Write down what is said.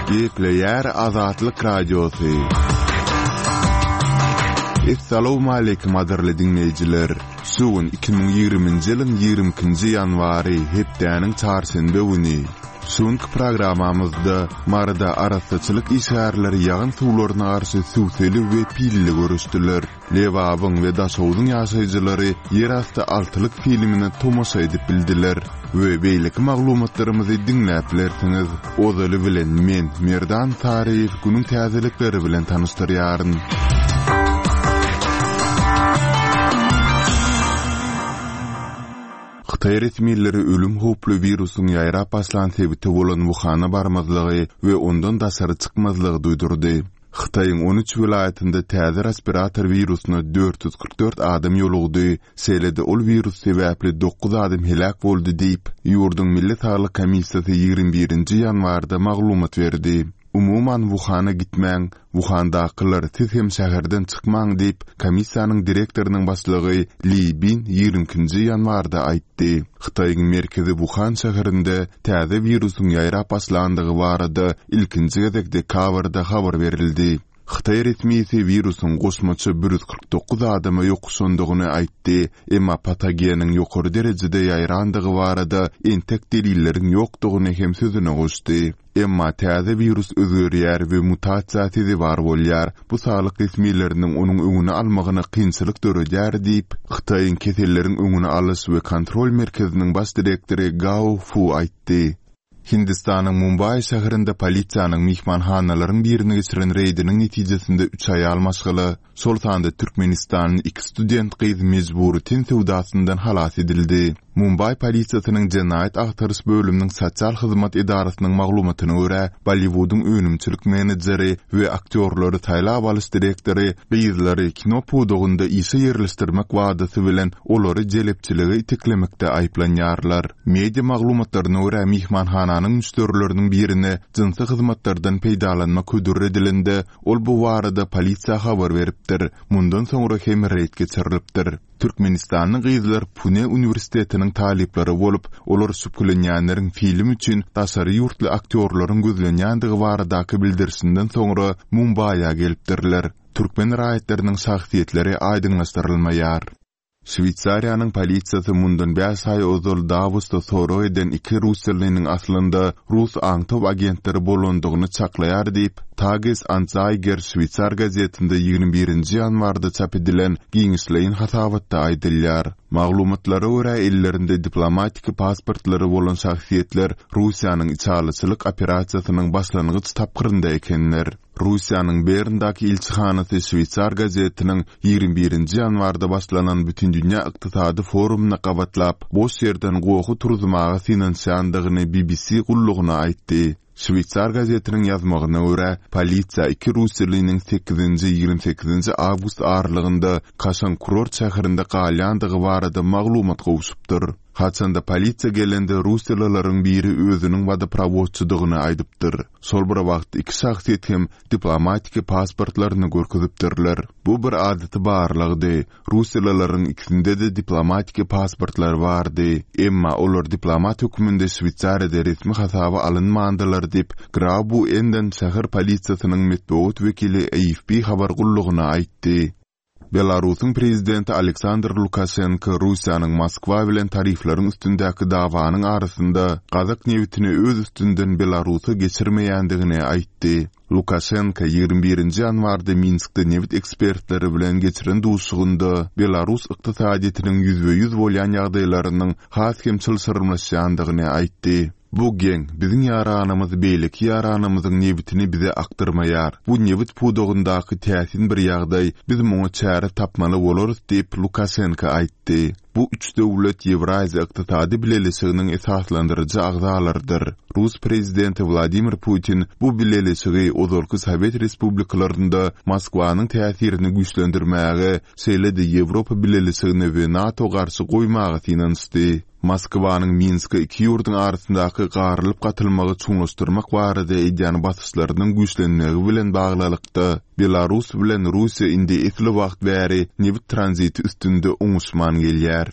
Gepleýär Azatlyk Radiosy. Essalawmaleýkim gadyrly diňleýjiler! Şu gün 2020-nji ýylyň 22-nji ýanwary, hepdäniň çarşenbe güni. Şu günki programmamyzda Maryda arassaçylyk işgärleri ýagyn suwlaryna garşy sübseli we pilli göreşdiler. Lebabyň we Daşogzuň ýaşaýjylary Ýerasty altylyk filmine tomaşa edip bildiler we beýleki maglumatlarymyzy diňläp bilersiňiz. Ozaly bilen men, Merdan Saryýew günüň täzelikleri bilen tanyşdyrýaryn. Hytaý resmileri ölüm howply wirusyň ýaýrap başlan sebiti bolan Wuhana barmazlygy we ondan daşary çykmazlygy duýdurdy. Hytaýyň 13 welaýatynda täze respirator wirusyna 444 adam ýolugdy, şeýle-de ol wirus sebäpli dokuz adam heläk boldy diýip, ýurduň Milli saglyk komissiýasy 21-nji ýanwarda maglumat berdi. Umuman, Wuhana gitmäň, Wuhandakylar, siz hem şäherden çykmaň diýip, komissiýanyň direktorynyň başlygy Li Bin 22-nji ýanwarda aýtdy. Hytaýyň merkezi Wuhan şäherinde täze wirusyň ýaýrap başlandygy barada ilkinji gezek dekabrda habar berildi. Hytaý resmisi wirusyň goşmaça 149 adama ýokuşandygyny aýtdy, emma patogeniň ýokary derejede ýaýrandygy barada entek delilleriň ýokdugyny hem sözüne goşdy. Emma täze wirus özgerýär we mutasiýa sezewar bolýar, bu saglyk resmileriniň onuň öňüni almagyna kynçylyk döredýär diýip, Hytaýyň Keselleriň öňüni alyş we kontrol merkeziniň baş direktory Gao Fu aýtdy. Hindistanyň Mumbaý şäherinde polisiýanyň myhmanhanalaryň birine geçiren reýdiniň netijesinde üç aýal maşgala, şol sanda türkmenistanly iki student gyz mejbury ten söwdasyndan halas edildi. Mumbaý polisiýasynyň jenaýat agtaryş bölüminiň sosial hyzmat edarasynyň maglumatyna görä, Bolliwudyň önümçilik menejeri we aktýorlary saýlap alyş direktory gyzlary kino pudagynda işe ýerleşdirmek wadasy bilen olary jelepçilige iteklemekde aýyplanýarlar. Media maglumatlaryna görä, myhmanhananyň müşderileriniň birine jynsy hyzmatlardan peýdalanmak hödür edilende, Ol bu barada polisiýa habar beripdir. Mundan soňra hem reýd geçirilipdir. Türkmenistanly gyzlar Pune uniwersitetiniň talyplary bolup, olar şübhelenýänleriň film üçin daşary ýurtly aktýorlaryň gözlenýändigi baradaky bildirişinden soňra Mumbaýa gelipdirler. Türkmen raýatlarynyň şahsyýetleri aýdyňlaşdyrylmaýar. Şweýsariýanyň polisiýasy mundan bäş aý ozal Dawosda sorag eden iki russiýalynyň aslynda rus aňtaw agentleri bolandygyny çaklaýar diýip, Tages Anzeiger şweýsar gazetinde 21-nji ýanwarda çap edilen giňişleýin hasabatda aýdylýar. Maglumatlara görä, ellerinde diplomatiki pasportlary bolan şahsyýetler Russiýanyň içalyçylyk operasiýasynyň başlangyç tapgyrynda ekenler. Russiýanyň Berndäki ilçihanasy şweýsar gazetiniň 21-nji ýanwarda başlanan Bütindünýä ykdysady forumyna gabatlap, boş ýerden gohy turuzmaga synanyşýandygyny BBC gullugyna aýtdy. Şweýsar gazetiniň ýazmagyna görä, polisiýa iki russiýalynyň sekizinji, 28-nji awgust aralygynda kaşaň kurort şäherinde galýandygy barada maglumat gowşupdyr. Haçanda polisiýa gelende russiýalylaryň biri özüniň wodoprowodçydygyny aýdypdyr. Şol bir wagtda iki şahsyýet hem diplomatiki pasportlaryny görkezipdirler. Bu bir adaty barlagdy. Russiýalylaryň ikisinde-de diplomatiki pasportlar bardy. Emma olar diplomat hökmünde Şweýsariýada resmi hasaba alynmandylar diýip, Graubuenden şäher polisiýasynyň metbugat wekili AFP habar gullugyna aýtdy. Belarusyň prezidenti Aleksandr Lukaşenko Russiýanyň Moskwa bilen tarifleriň üstündäki dawanyň arasynda gazak nebitini öz üstünden Belarusa geçirmeýändigini aýtdy. Lukaşenko 21-nji ýanwarda Minskde nebit ekspertleri bilen geçiren duşuşygynda belarus ykdysadyýetiniň ýüzbe-ýüz bolýan ýagdaýlarynyň has hem çylşyrymlaşýandygyny aýtdy. Bu geň, biziň ýaranymyz beýleki ýaranymyzyň nebitini bize akdyrmaýar. Bu nebit pudagyndaky täsin bir ýagdaý, biz muňa çäre tapmaly bolarys diýip, Lukaşenko aýtdy. Bu üç döwlet Ýewraziýa Ykdysady Bileleşiginiň esaslandyryjy agzalarydyr. Rus prezidenti Wladimir Putin bu bileleşigi ozalky sowet respublikalarynda Moskwanyň täsirini güýçlendirmäge, şeýle-de Ýewropa Bileleşigine we NATO garşy goýmaga synanyşdy. Moskwanyň Minske iki ýurduň arasyndaky garylyp-gatylmagy çuňlaşdyrmak barada edýän basyşlarynyň güýçlenmegi bilen baglylykda, Belarus bilen Russiýa indi esli wagt bäri nebit tranziti üstünde oňuşman gelýär.